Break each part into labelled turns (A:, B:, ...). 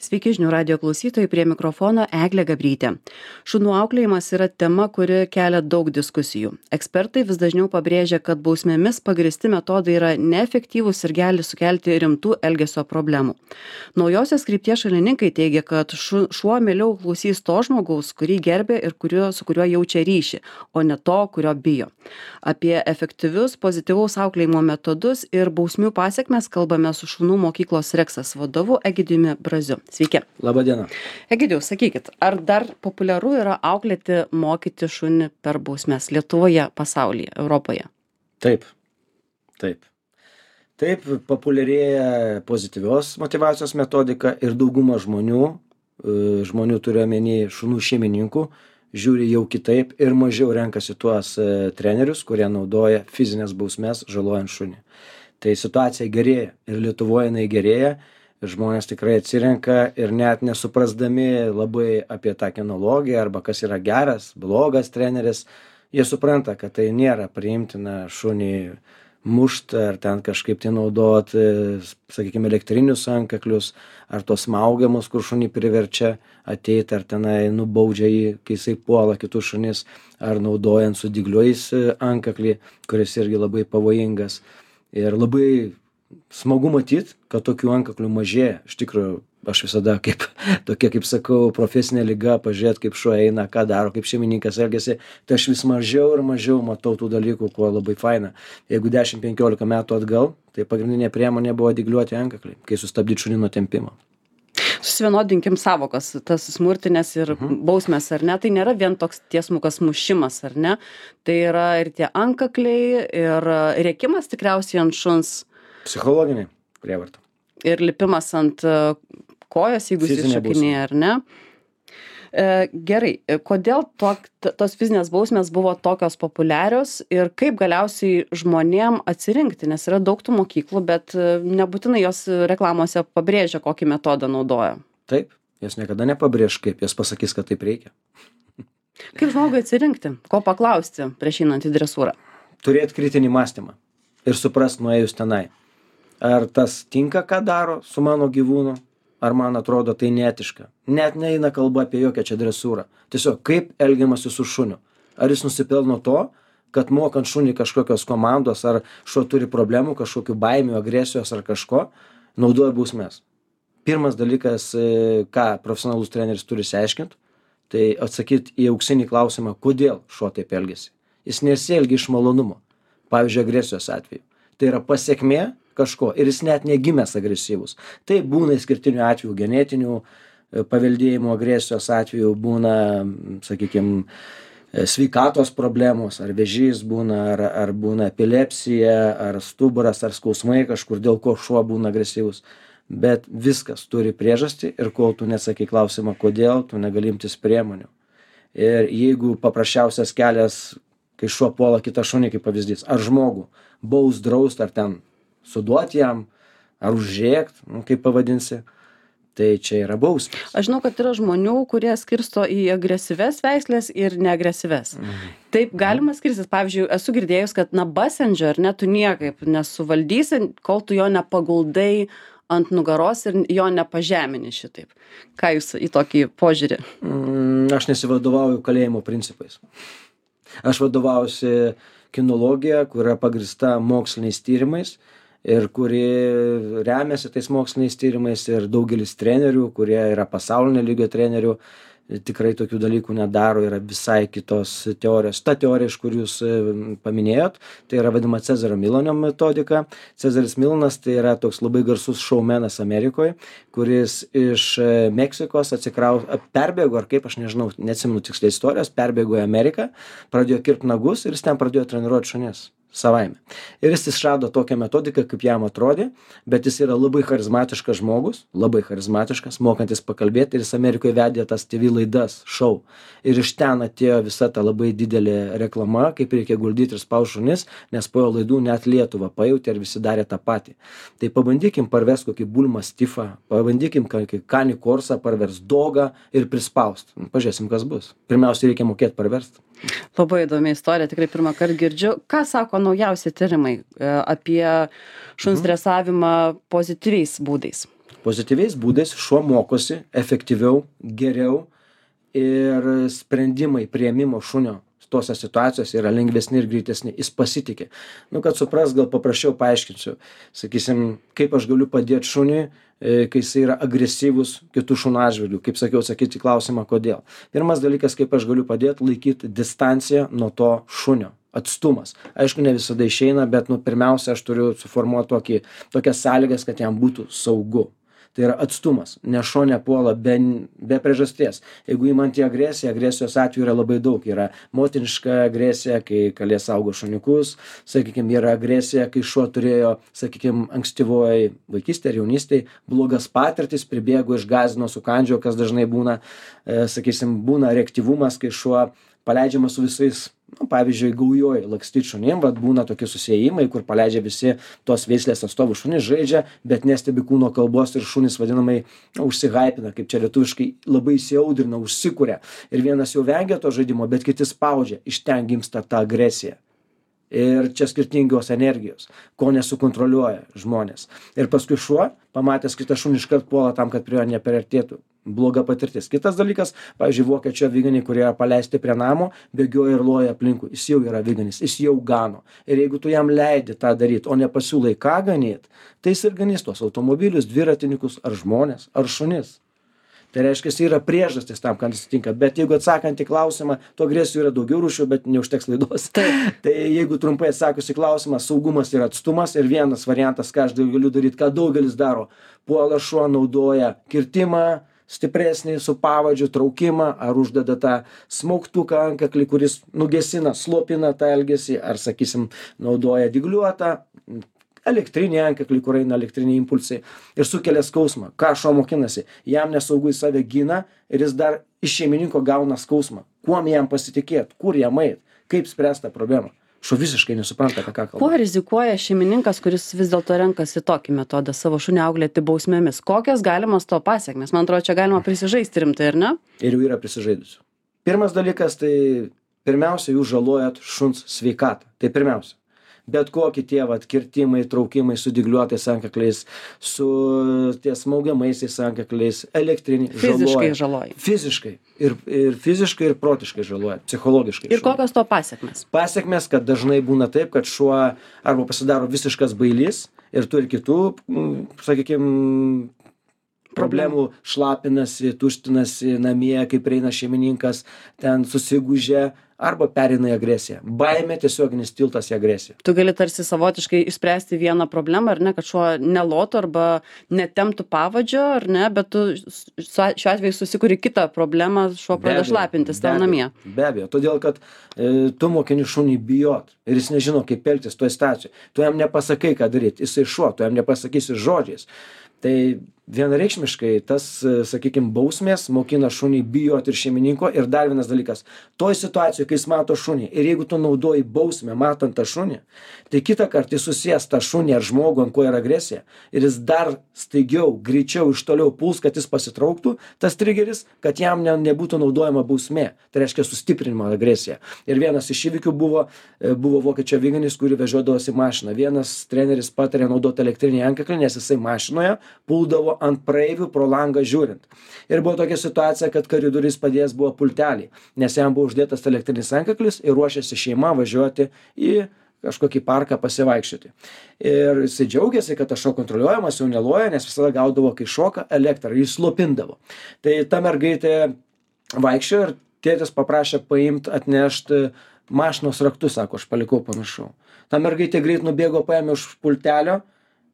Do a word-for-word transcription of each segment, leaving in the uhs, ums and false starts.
A: Sveiki žinių radio klausytojai, prie mikrofono Eglė Gabrytė. Šunų auklėjimas yra tema, kuri kelia daug diskusijų. Ekspertai vis dažniau pabrėžia, kad bausmėmis pagristi metodai yra neefektyvūs ir gali sukelti rimtų elgesio problemų. Naujosios krypties šalininkai teigia, kad šu, šuo mieliau klausys to žmogaus, kurį gerbė ir kurio, su kuriuo jaučia ryšį, o ne to, kurio bijo. Apie efektyvius pozityvaus auklėjimo metodus ir bausmių pasiekmes kalbame su šunų mokyklos Reksas vadovu Egidijumi Braziu. Sveiki.
B: Labą dieną.
A: Egidijau, sakykit, ar dar populiaru yra auklėti, mokyti šunį per bausmes Lietuvoje, pasaulyje, Europoje?
B: Taip, taip. Taip, populiarėja pozityvios motyvacijos metodika ir dauguma žmonių, žmonių turiu omeny šunų šeimininkų, žiūri jau kitaip ir mažiau renkasi tuos trenerius, kurie naudoja fizinės bausmes žalojant šunį. Tai situacija gerėja ir Lietuvoje jinai gerėja. Ir žmonės tikrai atsirenka ir net nesuprasdami labai apie tą kinologiją arba kas yra geras, blogas treneris, jie supranta, kad tai nėra priimtina šunį mušt ar ten kažkaip tai naudot, sakykime, elektrinius antkaklius ar tos smaugiamus, kur šunį priverčia ateiti ar tenai nubaudžia jį, kai jisai puola kitus šunis, ar naudojant su dygliais antkaklį, kuris irgi labai pavojingas. Ir labai smagu matyt, kad tokių antkaklių mažėja. Iš tikrųjų, aš visada kaip tokia, kaip sakau, profesinė liga, pažiūrėt, kaip šuo eina, ką daro, kaip šeimininkas elgiasi, tai aš vis mažiau ir mažiau matau tų dalykų, kuo labai faina. Jeigu dešimt penkiolika metų atgal, tai pagrindinė priemonė buvo dygliuoti antkakliai, kai sustabdyti šunį nuo tempimo.
A: Susivienodinkim savokas, tas smurtinės ir mhm. bausmės, ar ne? Tai nėra vien toks tiesmukas mušimas, ar ne? Tai yra ir tie antkakliai, ir rėkimas tikriausiai ant šuns.
B: Psichologinė prievarta.
A: Ir lipimas ant kojos, jeigu jis iššokinėja, ar ne? E, gerai, kodėl to, tos fizinės bausmės buvo tokios populiarios ir kaip galiausiai žmonėm atsirinkti, nes yra daug tų mokyklų, bet nebūtinai jos reklamose pabrėžia, kokį metodą naudoja.
B: Taip, jos niekada nepabrėž, kaip jos pasakys, kad taip reikia.
A: Kaip žmogui atsirinkti, ko paklausti prieš einant į dresūrą?
B: Turėti kritinį mąstymą ir suprast nuėjus tenai. Ar tas tinka, ką daro su mano gyvūnu, ar man atrodo tai neetiška. Net neina kalba apie jokią čia dresūrą. Tiesiog kaip elgiamasi su šuniu. Ar jis nusipelno to, kad mokant šunį kažkokios komandos, ar šuo turi problemų, kažkokių baimių, agresijos ar kažko, naudoja bausmes. Pirmas dalykas, ką profesionalus treneris turi išsiaiškinti, tai atsakyti į auksinį klausimą, kodėl šuo taip elgiasi. Jis nesielgia iš malonumo. Pavyzdžiui, agresijos atveju. Tai yra pasiekmė kažko ir jis net negimęs agresyvus. Tai būna išskirtinių atvejų, genetinių paveldėjimo agresijos atvejų, būna, sakykime, sveikatos problemos, ar vėžys būna, ar, ar būna epilepsija, ar stuburas, ar skausmai kažkur, dėl ko šuo būna agresyvus. Bet viskas turi priežastį ir kol tu nesakai klausimą, kodėl, tu negali imtis priemonių. Ir jeigu paprasčiausias kelias, kai šuo puola kitą šunį, kaip pavyzdys, ar žmogų, baus, draust, ar ten suduoti jam, ar užrėkt, nu, kaip pavadinsi, tai čia yra bausmės.
A: Aš žinau, kad yra žmonių, kurie skirsto į agresyves veislės ir neagresyves. Mhm. Taip galima skirstytis. Pavyzdžiui, esu girdėjus, kad na basenžio, ar ne, tu niekaip nesuvaldysi, kol tu jo nepaguldai ant nugaros ir jo nepažemini šitaip. Ką jūs į tokį požiūrį?
B: Mm, aš nesivadovauju kalėjimo principais. Aš vadovaujuosi kinologija, kur yra pagrįsta moksliniais tyrimais ir kuri remiasi tais moksliniais tyrimais ir daugelis trenerių, kurie yra pasaulinio lygio trenerių, tikrai tokių dalykų nedaro, yra visai kitos teorijos. Ta teorija, iš kur jūs paminėjot, tai yra vadinama Cezario Milano metodika. Cezaris Milanas tai yra toks labai garsus šoumenas Amerikoje, kuris iš Meksikos atsikrau, perbėgo, ar kaip, aš nežinau, neatsimenu tiksliai istorijos, perbėgo į Ameriką, pradėjo kirpt nagus ir jis ten pradėjo treniruoti šunis savaime. Ir jis išrado tokią metodiką, kaip jam atrodė, bet jis yra labai charizmatiškas žmogus, labai charizmatiškas, mokantis pakalbėti, ir jis Amerikoje vedė tas T V laidas, šou. Ir iš ten atėjo visa ta labai didelė reklama, kaip reikia guldyti ir spaust šunis, nes po jo laidų net Lietuva pajutė ir visi darė tą patį. Tai pabandykim parvest kokį bulmą stifą, pabandykim kokį kanį korsą parvers dogą ir prispaust. Pažiūrėsim, kas bus. Pirmiausia, reikia mokėti parverst.
A: Labai įdomi istorija, tikrai pirmą kartą girdžiu. Ką sako naujausi tyrimai apie šuns dresavimą pozityviais būdais?
B: Pozityviais būdais šuo mokosi efektyviau, geriau ir sprendimai priėmimo šunio tose situacijose yra lengvesni ir greitesni. Jis pasitikė. Nu, kad supras, gal paprasčiau paaiškinsiu. Sakysim, kaip aš galiu padėti šuniui, kai jis yra agresyvus kitų šunų atžvilgių. Kaip sakiau, sakyti klausimą, kodėl. Pirmas dalykas, kaip aš galiu padėti, laikyti distanciją nuo to šunio. Atstumas. Aišku, ne visada išeina, bet nu, pirmiausia, aš turiu suformuoti tokį, tokias sąlygas, kad jam būtų saugu. Tai yra atstumas, nes šuo nepuola be, be priežasties. Jeigu įmant į agresiją, agresijos atveju yra labai daug. Yra motiniška agresija, kai kalė saugo šuniukus, sakykime, yra agresija, kai šuo turėjo, sakykime, ankstyvoje vaikystėje ir jaunystėje blogas patirtis, pribėgo, išgąsdino, sukandžiojo, kas dažnai būna, e, sakysim, būna reaktyvumas, kai šuo paleidžiamas su visais, nu, pavyzdžiui, gaujoj lakstyt šunim, vat būna tokie susiėjimai, kur paleidžia visi tos veislės atstovų šunys, žaidžia, bet nestebi kūno kalbos ir šunys vadinamai nu, užsihaipina, kaip čia lietuviškai labai įsiaudrina, užsikuria. Ir vienas jau vengia to žaidimo, bet kiti spaudžia, iš ten gimsta ta agresija. Ir čia skirtingos energijos, ko nesukontroliuoja žmonės. Ir paskui šuo, pamatęs kitą šunį, iškart puola tam, kad prie jo nepriartėtų. Bloga patirtis. Kitas dalykas, pavyzdžiui, vokiečio aviganiai, kurie yra paleisti prie namo, bėgioja ir loja aplinkui. Jis jau yra aviganis, jis jau gano. Ir jeigu tu jam leidi tą daryti, o nepasiūlai ką ganyti, tai jis ir ganys tuos automobilius, dviratininkus, ar žmonės, ar šunis. Tai reiškia, yra priežastis tam, kad atsitinka. Bet jeigu atsakant į klausimą, to agresijų yra daugiau rūšių, bet neužteks laidos. Tai jeigu trumpai atsakius į klausimą, saugumas ir atstumas. Ir vienas variantas, ką aš galiu daryti, ką daugelis daro. Puola šuo, naudoja kirtimą, stipresnį su pavadžiu, traukimą, ar uždeda tą smaugtuką antkaklį, kuris nugesina, slopina tą elgesį, ar, sakysim, naudoja dygliuotą elektrinį antkaklį, kur eina elektriniai impulsai ir sukelia skausmą. Ką šuo mokinasi? Jam nesaugu, į save gina ir jis dar iš šeimininko gauna skausmą. Kuom jam pasitikėti? Kur jam eit? Kaip spręsti tą problemą? Šuo visiškai nesupranta, apie ką kalba.
A: Kuo rizikuoja šeimininkas, kuris vis dėlto renkasi tokį metodą savo šunį auklėti bausmėmis? Kokios galimos to pasiekmes? Man atrodo, čia galima prisižaisti rimtai, ar ne?
B: Ir jau yra prisižaidusių. Pirmas dalykas, tai pirmiausia, jūs žalojat šuns sveikatą. Tai pirmiausia. Bet kokie tie vat kirtimai, traukimai su dygliuotais antkakliais, su ties smaugiamaisiais antkakliais, elektriniai
A: Fiziškai žaloja.
B: Fiziškai. Ir, ir fiziškai, ir protiškai žaloja. Psichologiškai.
A: Ir kokios to pasiekmes?
B: Pasiekmes, kad dažnai būna taip, kad šuo arba pasidaro visiškas bailys ir turi kitų, sakykime, problemų, šlapinasi, tuštinasi namie, kai prieina šeimininkas, ten susigūžia, arba pereina į agresiją. Baimė tiesioginis tiltas į agresiją.
A: Tu gali tarsi savotiškai išspręsti vieną problemą, ar ne, kad šuo nelotų arba netemptų pavadžio, ar ne, bet tu šiuo atveju susikuri kitą problemą, šuo pradeda šlapintis tavo namie.
B: Be abejo, todėl kad e, tu mokini šunį bijot ir jis nežino, kaip elgtis toje situacijoje. Tu jam nepasakai, ką daryti, jisai šuo, tu jam nepasakysi žodžiais. Tai vienareikšmiškai tas, sakykime, bausmės mokina šunį bijoti ir šeimininko. Ir dar vienas dalykas, toj situacijoje, kai jis mato šunį ir jeigu tu naudoji bausmę matant tą šunį, tai kitą kartą jis susės tą šunį ar žmogų, ant ko yra agresija, ir jis dar staigiau, greičiau iš toliau puls, kad jis pasitrauktų, tas trigeris, kad jam ne, nebūtų naudojama bausmė. Tai reiškia sustiprinimo agresiją. Ir vienas iš įvykių buvo, buvo vokiečio aviganis, kurį vežiodavosi mašiną. Vienas treneris patarė naudoti elektrinį antkaklį, nes jisai mašinoje puldavo ant praeivių pro langą žiūrint. Ir buvo tokia situacija, kad koridoriais padėjęs buvo pultelį, nes jam buvo uždėtas elektrinis antkaklis ir ruošėsi šeima važiuoti į kažkokį parką pasivaikščioti. Ir jisai džiaugiasi, kad tas šuo kontroliuojamas, jau neloja, nes visada gaudavo, kai šoka elektrą, jis slopindavo. Tai ta mergaitė vaikščiojo ir tėtis paprašė paimti, atnešti mašinos raktus, sako, aš palikau, pamiršau. Ta mergaitė greit nubėgo, paėmė už pultelio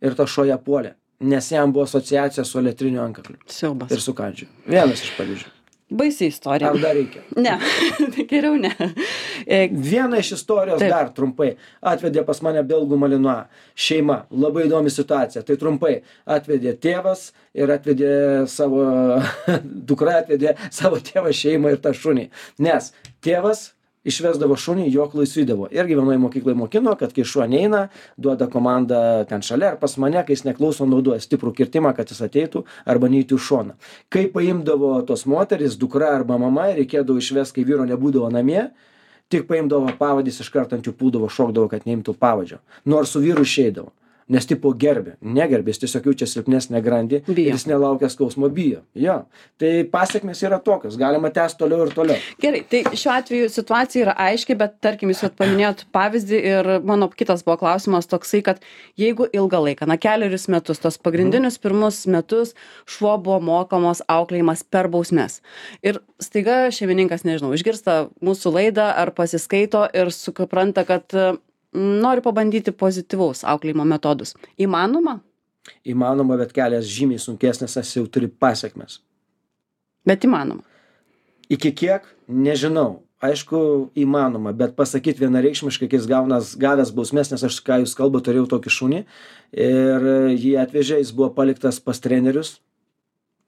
B: ir ta šuo ją puolė. Nes jam buvo asociacija su elektriniu antkakliu.
A: Siaubas.
B: Ir su kandžiu. Vienas iš pavyzdžių.
A: Baisi istorija.
B: Ar dar reikia?
A: Ne, geriau ne.
B: Viena iš istorijos Taip. Dar trumpai. Atvedė pas mane belgų malinua šeima. Labai įdomi situacija. Tai trumpai. Atvedė tėvas ir atvedė savo, dukra atvedė savo tėvą, šeimą ir tą šunį. Nes tėvas išvesdavo šunį, jo klausydavo. Irgi vienoje mokykloje mokino, kad kai šuo neina, duoda komandą ten šalia ar pas mane, kai jis neklauso, naudoja stiprų kirtimą, kad jis ateitų arba neįtų į šoną. Kai paimdavo tos moteris, dukra arba mama, reikėdavo išvesti, kai vyro nebūdavo namie, tik paimdavo pavadys, iš karto ant jų puldavo, šokdavo, kad neimtų pavadžio. Nors su vyru išeidavo. Nes tipo gerbė, negerbė, jis tiesiog jaučia silpnesnę grandį
A: Bijo.
B: ir jis nelaukia skausmo, bijo. Jo. Tai pasiekmes yra tokios, galima tęsti toliau ir toliau.
A: Gerai, tai šiuo atveju situacija yra aiški, bet tarkim, jūs vat paminėjot pavyzdį ir mano kitas buvo klausimas toksai, kad jeigu ilgą laiką, na keliarius metus, tos pagrindinius pirmus metus šuo buvo mokamos auklėjimas per bausmes. Ir staiga šeimininkas, nežinau, išgirsta mūsų laidą ar pasiskaito ir supranta, kad noriu pabandyti pozityvaus auklėjimo metodus. Įmanoma?
B: Įmanoma, bet kelias žymiai sunkesnis, nes jau turi pasiekmes.
A: Bet įmanoma.
B: Iki kiek? Nežinau. Aišku, įmanoma, bet pasakyti vienareikšmiškai, kai jis gaunas, gavęs bausmes, nes aš, ką jūs kalba, turėjau tokį šunį ir jį atvežė, jis buvo paliktas pas trenerius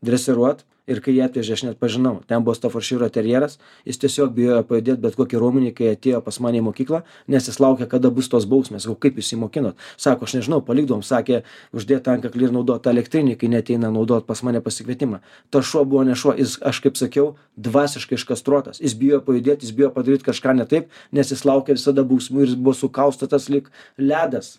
B: dresiruot ir kai jį atvežė, aš net pažinau, ten buvo Staffordshire terjeras, jis tiesiog bijojo pajudėti bet kokį raumenį, kai atėjo pas mane į mokyklą, nes jis laukia, kada bus tos bausmės. Sakau, kaip jūs įmokinot? Sako, aš nežinau, palikdom, sakė, uždėti antkaklį ir naudoti elektrinį, kai neteina naudoti pas mane pasikvietimą. Tas šuo buvo ne šuo, jis, aš kaip sakiau, dvasiškai iškastruotas. Jis bijojo pajudėti, jis bijojo padaryti kažką ne taip, nes jis laukia visada bausmų ir jis buvo sukaustytas lyg ledas.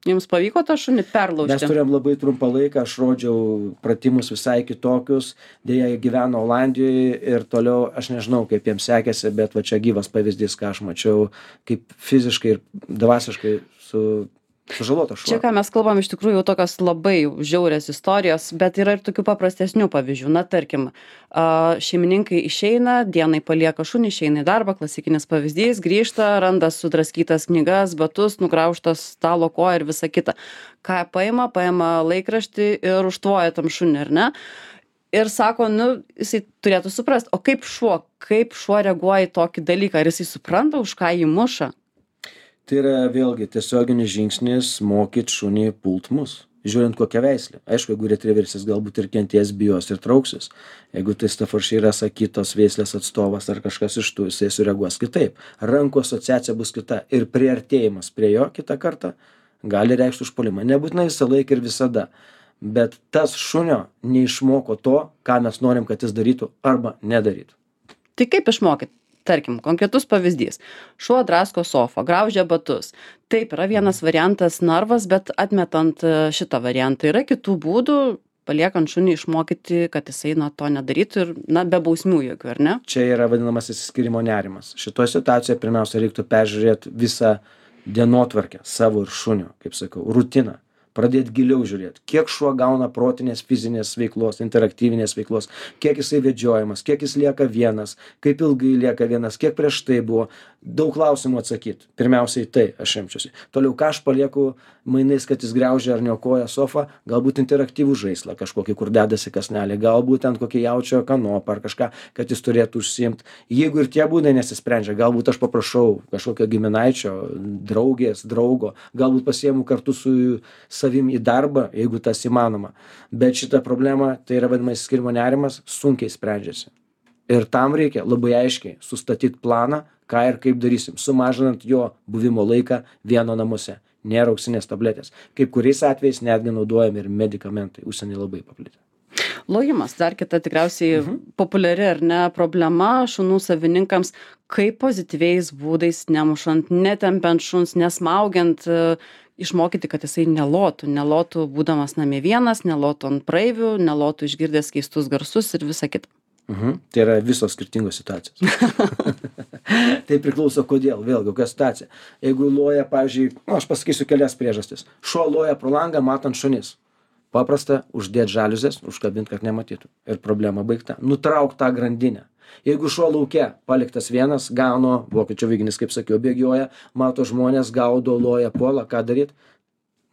A: Jums pavyko tą šunį perlaužti?
B: Mes turėjom labai trumpą laiką, aš rodžiau pratimus visai kitokius, dėja jie gyveno Olandijoje ir toliau aš nežinau, kaip jiems sekėsi, bet va čia gyvas pavyzdys, ką aš mačiau, kaip fiziškai ir dvasiškai su... sužalotas šuo.
A: Čia, ką mes kalbam, iš tikrųjų jau tokios labai žiaurios istorijos, bet yra ir tokių paprastesnių pavyzdžių. Na, tarkim, šeimininkai išeina, dienai palieka šunį, išeina į darbą, klasikinis pavyzdys, grįžta, randa sudraskytas knygas, batus, nugraužtas stalo koją ir visa kita. Ką paima, paima laikraštį ir užtvoja tam šunį, ar ne? Ir sako, nu, jisai turėtų suprasti, o kaip šuo, kaip šuo reaguoja į tokį dalyką, ar jisai supranta, už ką jį muša?
B: Tai yra vėlgi tiesioginis žingsnis mokyt šunį pult mus, žiūrint kokią veislę. Aišku, jeigu retriveris galbūt ir kenties, bijos ir trauksis. Jeigu tai Staffordshire'as ar kitos veislės atstovas ar kažkas iš tų, jisai sureaguos kitaip. Rankų asociacija bus kita ir priartėjimas prie jo kitą kartą gali reikšti užpuolimą. Nebūtinai visą laiką ir visada. Bet tas šunio neišmoko to, ką mes norim, kad jis darytų arba nedarytų.
A: Tai kaip išmokyt? Tarkim, konkretus pavyzdys. Šuo drasko sofą, graužia batus. Taip, yra vienas variantas narvas, bet atmetant šitą variantą yra kitų būdų, paliekant šunį išmokyti, kad jisai na, to nedarytų ir na, be bausmių jokių, ar ne?
B: Čia yra vadinamas išsiskyrimo nerimas. Šitoje situacijoje pirmiausia reiktų peržiūrėti visą dienotvarkę savo ir šunio, kaip sakau, rutiną. Pradėti giliau žiūrėti, kiek šuo gauna protinės, fizinės veiklos, interaktyvinės veiklos, kiek jisai vedžiojamas, kiek jis lieka vienas, kaip ilgai lieka vienas, kiek prieš tai buvo. Daug klausimų atsakyti. Pirmiausiai tai aš imčiausi. Toliau, ką aš palieku mainais, kad jis griaužia ar niokoja sofą, galbūt interaktyvų žaislą kažkokį, kur dedasi kasnelį, galbūt ant kokį jaučio kanopą ar kažką, kad jis turėtų užsiimti. Jeigu ir tie būdai nesisprendžia, galbūt aš paprašau kažkokio giminaičio, draugės, draugo, galbūt pasiimu kartu su savim į darbą, jeigu tas įmanoma. Bet šita problema, tai yra vadinamas išsiskyrimo nerimas, sunkiai sprendžiasi. Ir tam reikia labai aiškiai sustatyti planą, ką ir kaip darysim, sumažinant jo buvimo laiką vieno namuose. Nėra auksinės tabletės. Kaip kuriais atvejais netgi naudojami ir medikamentai, užsienį labai paplitę.
A: Lojimas, dar kita tikriausiai mhm. populiari ar ne problema šunų savininkams, kaip pozityviais būdais nemušant, netempiant šuns, nesmaugiant, išmokyti, kad jisai nelotų, nelotų būdamas namie vienas, nelotų ant praeivių, nelotų išgirdęs keistus garsus ir visa kita.
B: Mhm. Tai yra visos skirtingos situacijos. Tai priklauso kodėl, vėlgi, kokia situacija. Jeigu loja, pavyzdžiui, nu, aš pasakysiu kelias priežastis. Šuo loja pro langą, matant šunis. Paprasta, uždėti žaliuzės, užkabinti, kad nematytų. Ir problema baigta. Nutrauk tą grandinę. Jeigu šuo lauke paliktas vienas, gauno, vokiečių viginis, kaip sakiau, bėgioja, mato žmonės, gaudo, loja, puola, ką daryti?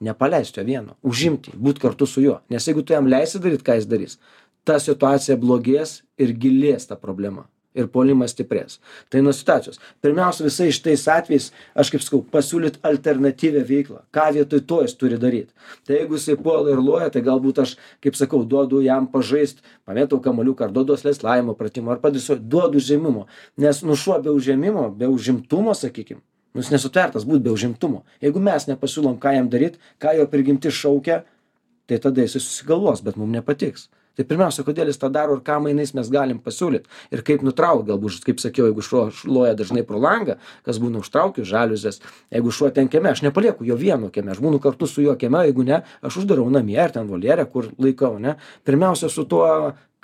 B: Nepaleisti jo vieno, užimti, būti kartu su juo. Nes jeigu tu jam leisi daryti, ką jis darys, ta situacija blogės ir gilės ta problema. Ir puolimas stiprės. Tai nuo situacijos. Pirmiausia, visai šitais atvejais, aš kaip sakau, pasiūlyti alternatyvę veiklą. Ką vietoj to jis turi daryti. Tai jeigu jisai puola ir loja, tai galbūt aš, kaip sakau, duodu jam pažaist, pamėtau kamaliuką, ar duodu leslaimo pratimą, ar padėsiu, duodu užėmimo. Nes nu šuo be užėmimo, be užimtumo, sakykim, nu jis nesutvertas būt be užimtumo. Jeigu mes nepasiūlom, ką jam daryti, ką jo prigimti šaukia, tai tada jis susigalvos, bet mums nepatiks. Tai pirmiausia, kodėl jis tą daro ir ką mainais mes galim pasiūlyti. Ir kaip nutraukti, galbūt, kaip sakiau, jeigu šuo šluoja dažnai pro langą, kas būna užtraukiu žaliuzės, jeigu šuo ten kieme, aš nepalieku jo vieno kieme, aš būnu kartu su juo kieme, jeigu ne, aš uždarau namie ar ten voljerę, kur laikau, ne. Pirmiausia, su tuo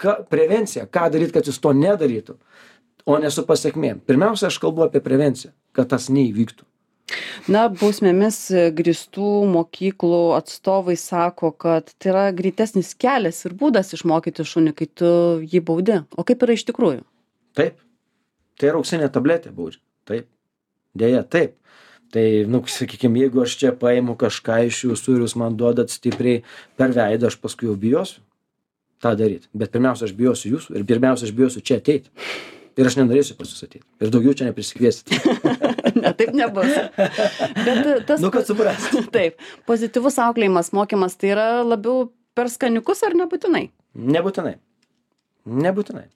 B: ka, prevencija, ką daryti, kad jis to nedarytų, o ne su pasiekmėm. Pirmiausia, aš kalbu apie prevenciją, kad tas neįvyktų.
A: Na, bausmėmis grįstų mokyklų atstovai sako, kad tai yra greitesnis kelias ir būdas išmokyti šunį, kai tu jį baudi. O kaip yra iš tikrųjų?
B: Taip. Tai yra auksinė tabletė baudžia. Taip. Deja, taip. Tai, nu, sakykime, jeigu aš čia paimu kažką iš jūsų ir jūs man duodat stipriai per veidą, aš paskui jau bijosiu tą daryti. Bet pirmiausia, aš bijosiu jūsų ir pirmiausia, aš bijosiu čia ateiti. Ir aš nenorėsiu pas jūs ateiti. Ir daugiau čia neprisikviesite.
A: Ne, taip nebus. Bet tas...
B: Nu, kad suprasti.
A: Taip. Pozityvus auklėjimas, mokymas, tai yra labiau per skaniukus ar nebūtinai?
B: Nebūtinai. Nebūtinai.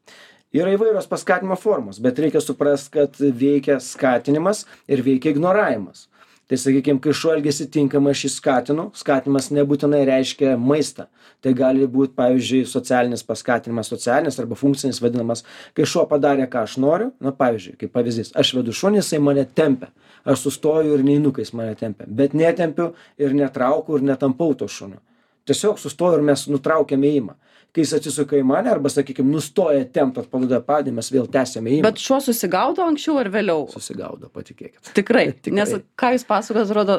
B: Yra įvairios paskatinimo formos, bet reikia suprasti, kad veikia skatinimas ir veikia ignoravimas. Tai sakykime, kai šuo elgiasi tinkamai, aš jį skatinu, skatinimas nebūtinai reiškia maistą. Tai gali būti, pavyzdžiui, socialinis paskatinimas, socialinis arba funkcinis vadinamas, kai šuo padarė, ką aš noriu, na, pavyzdžiui, kaip pavyzdys, aš vedu šunį, jisai mane tempia, aš sustoju ir neinu, kai jis mane tempia, bet netempiu ir netraukiu ir netampau to šunio. Tiesiog sustoju ir mes nutraukiame ėjimą. Kai jis atsisuka į mane arba, sakykime, nustoja tempt atpalaiduoja padį, mes vėl tęsiame ėjimą.
A: Bet šuo susigaudo anksčiau ar vėliau?
B: Susigaudo, patikėkit.
A: Tikrai,
B: Tikrai.
A: Nes ką jūs pasakot, atrodo,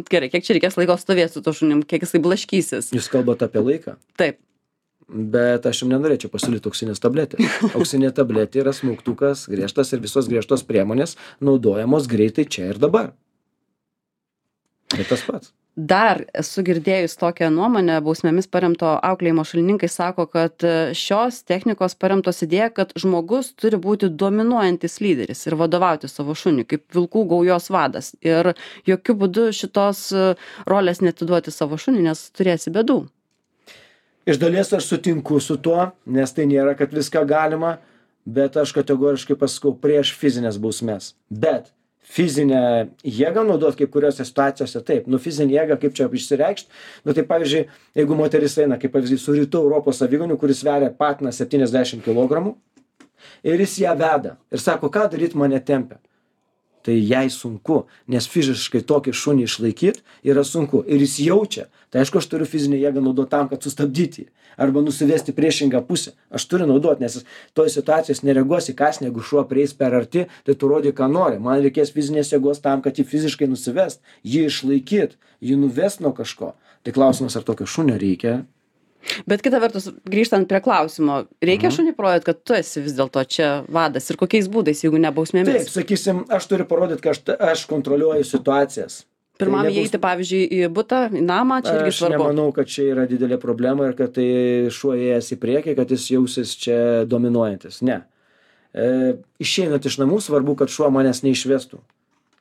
A: gerai, kiek čia reikės laiko stovėti su to šunim, kiek jisai blaškysis.
B: Jūs kalbate apie laiką?
A: Taip.
B: Bet aš jums nenorėčiau pasiūlyti auksinės tabletės. Auksinė tabletė yra smaugtukas, griežtas ir visos griežtos priemonės naudojamos greitai čia ir dabar. Bet tas pats.
A: Dar esu girdėjus tokią nuomonę, bausmėmis paremto auklėjimo šalininkai sako, kad šios technikos paremtos idėja, kad žmogus turi būti dominuojantis lyderis ir vadovauti savo šuniui, kaip vilkų gaujos vadas. Ir jokių būdų šitos rolės netiduoti savo šuniui, nes turėsi bėdų.
B: Iš dalies aš sutinku su tuo, nes tai nėra, kad viską galima, bet aš kategoriškai pasakau prieš fizinės bausmes. Bet fizinę jėgą naudot kai kuriuose situacijose taip. Nu, fizinę jėgą, kaip čia išsireikšti. Nu, tai pavyzdžiui, jeigu moteris eina, kaip pavyzdys, su rytų Europos avigoniu, kuris sveria patiną septyniasdešimt kilogramų ir jis ją veda ir sako, ką daryti, mane tempia. Tai jai sunku, nes fiziškai tokį šunį išlaikyti yra sunku. Ir jis jaučia. Tai aišku, aš turiu fizinę jėgą naudoti tam, kad sustabdyti jį. Arba nusivesti priešingą pusę. Aš turiu naudoti, nes toj situacijos nereaguosi kasnį, jeigu šuo prieis per arti, tai tu rodi, ką nori. Man reikės fizinės jėgos tam, kad jį fiziškai nusivest, jį išlaikyt, jį nuvest nuo kažko. Tai klausimas, ar tokio šunio reikia.
A: Bet kita vertus, grįžtant prie klausimo, reikia mhm. šunį parodyti, kad tu esi vis dėlto čia vadas ir kokiais būdais, jeigu ne bausmėmis?
B: Taip, sakysim, aš turiu parodyti, kad aš, aš kontroliuoju situacijas.
A: Pirmam
B: tai nebus...
A: įeiti, pavyzdžiui, į butą, į namą, čia irgi svarbu.
B: Aš nemanau, kad čia yra didelė problema ir kad tai šuo ėjęs į priekį, kad jis jausis čia dominuojantis. Ne. E, išeinant iš namų, svarbu, kad šuo manęs neišvestų.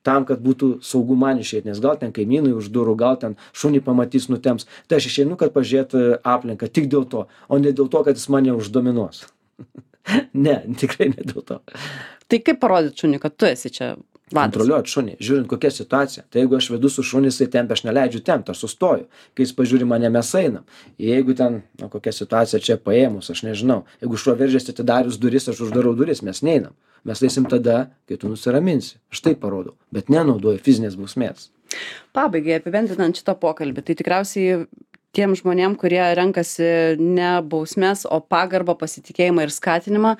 B: Tam, kad būtų saugu man išeiti, nes gal ten kaimynai už durų, gal ten šunį pamatys, nutems. Tai aš išeinu, kad pažiūrėtų aplinką tik dėl to, o ne dėl to, kad jis mane uždominuos. Ne, tikrai ne dėl to.
A: Tai kaip parodyti šunį, kad tu esi čia vadas?
B: Kontroliuoti šunį, žiūrint kokia situacija. Tai jeigu aš vedu su šunį, jisai tempia, aš neleidžiu tempti, aš sustoju. Kai jis pažiūri mane, mes einam. Jeigu ten, na, kokia situacija čia paėmus, aš nežinau. Jeigu šuo veržiasi atidarius duris, aš uždarau duris, mes neinam. Mes eisim tada, kai tu nusiraminsi. Aš tai parodau, bet nenaudoju fizinės bausmės.
A: Pabaigai, apibendrinant šitą pokalbį, tai tikriausiai tiem žmonėm, kurie renkasi ne bausmes, o pagarbą, pasitikėjimą ir skatinimą,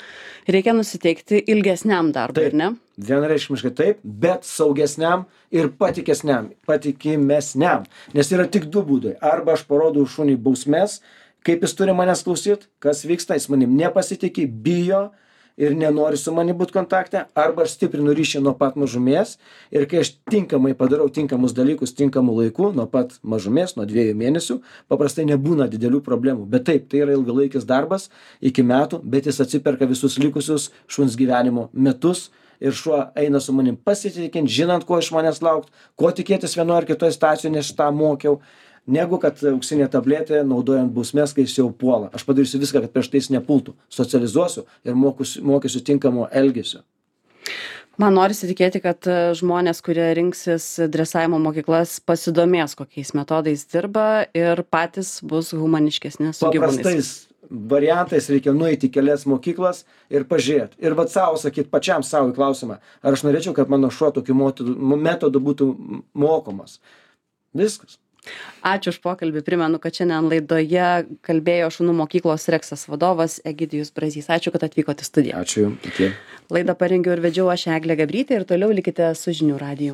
A: reikia nusiteikti ilgesniam darbui,
B: taip,
A: ar ne?
B: Vienareikšmiškai taip, bet saugesniam ir patikesniam, patikimesniam. Nes yra tik du būdai. Arba aš parodau šuniui bausmes, kaip jis turi manęs klausyti, kas vyksta, jis manim nepasitikė, bijo ir nenori su manim būt kontakte, arba aš stiprinu ryšį nuo pat mažumės ir kai aš tinkamai padarau tinkamus dalykus tinkamu laiku, nuo pat mažumės, nuo dviejų mėnesių, paprastai nebūna didelių problemų. Bet taip, tai yra ilgalaikis darbas iki metų, bet jis atsiperka visus likusius šuns gyvenimo metus ir šuo eina su manim pasitikint, žinant, ko iš manęs laukt, ko tikėtis vienoje ar kitoje situacijoje, nes tą mokiau. Negu kad auksinė tabletė naudojant bausmes, kai jis jau puola. Aš padarysiu viską, kad prieš tai jis nepultų. Socializuosiu ir mokysiu, mokysiu tinkamo elgesio.
A: Man norisi tikėti, kad žmonės, kurie rinksis dresavimo mokyklas, pasidomės, kokiais metodais dirba ir patys bus humaniškesni su gyvūnais.
B: Paprastais variantais reikia nueiti į kelias mokyklas ir pažiūrėt. Ir vat savo sakyt, pačiam savo į klausimą, ar aš norėčiau, kad mano šuo tokiu metodu, metodu būtų mokomas. Viskas.
A: Ačiū už pokalbį. Primenu, kad šiandien laidoje kalbėjo šunų mokyklos Reksas vadovas Egidijus Brazys. Ačiū, kad atvykote į studiją.
B: Ačiū. Iki.
A: Laidą parengiau ir vedžiau aš Eglė Gabrytė ir toliau likite su žinių radiju.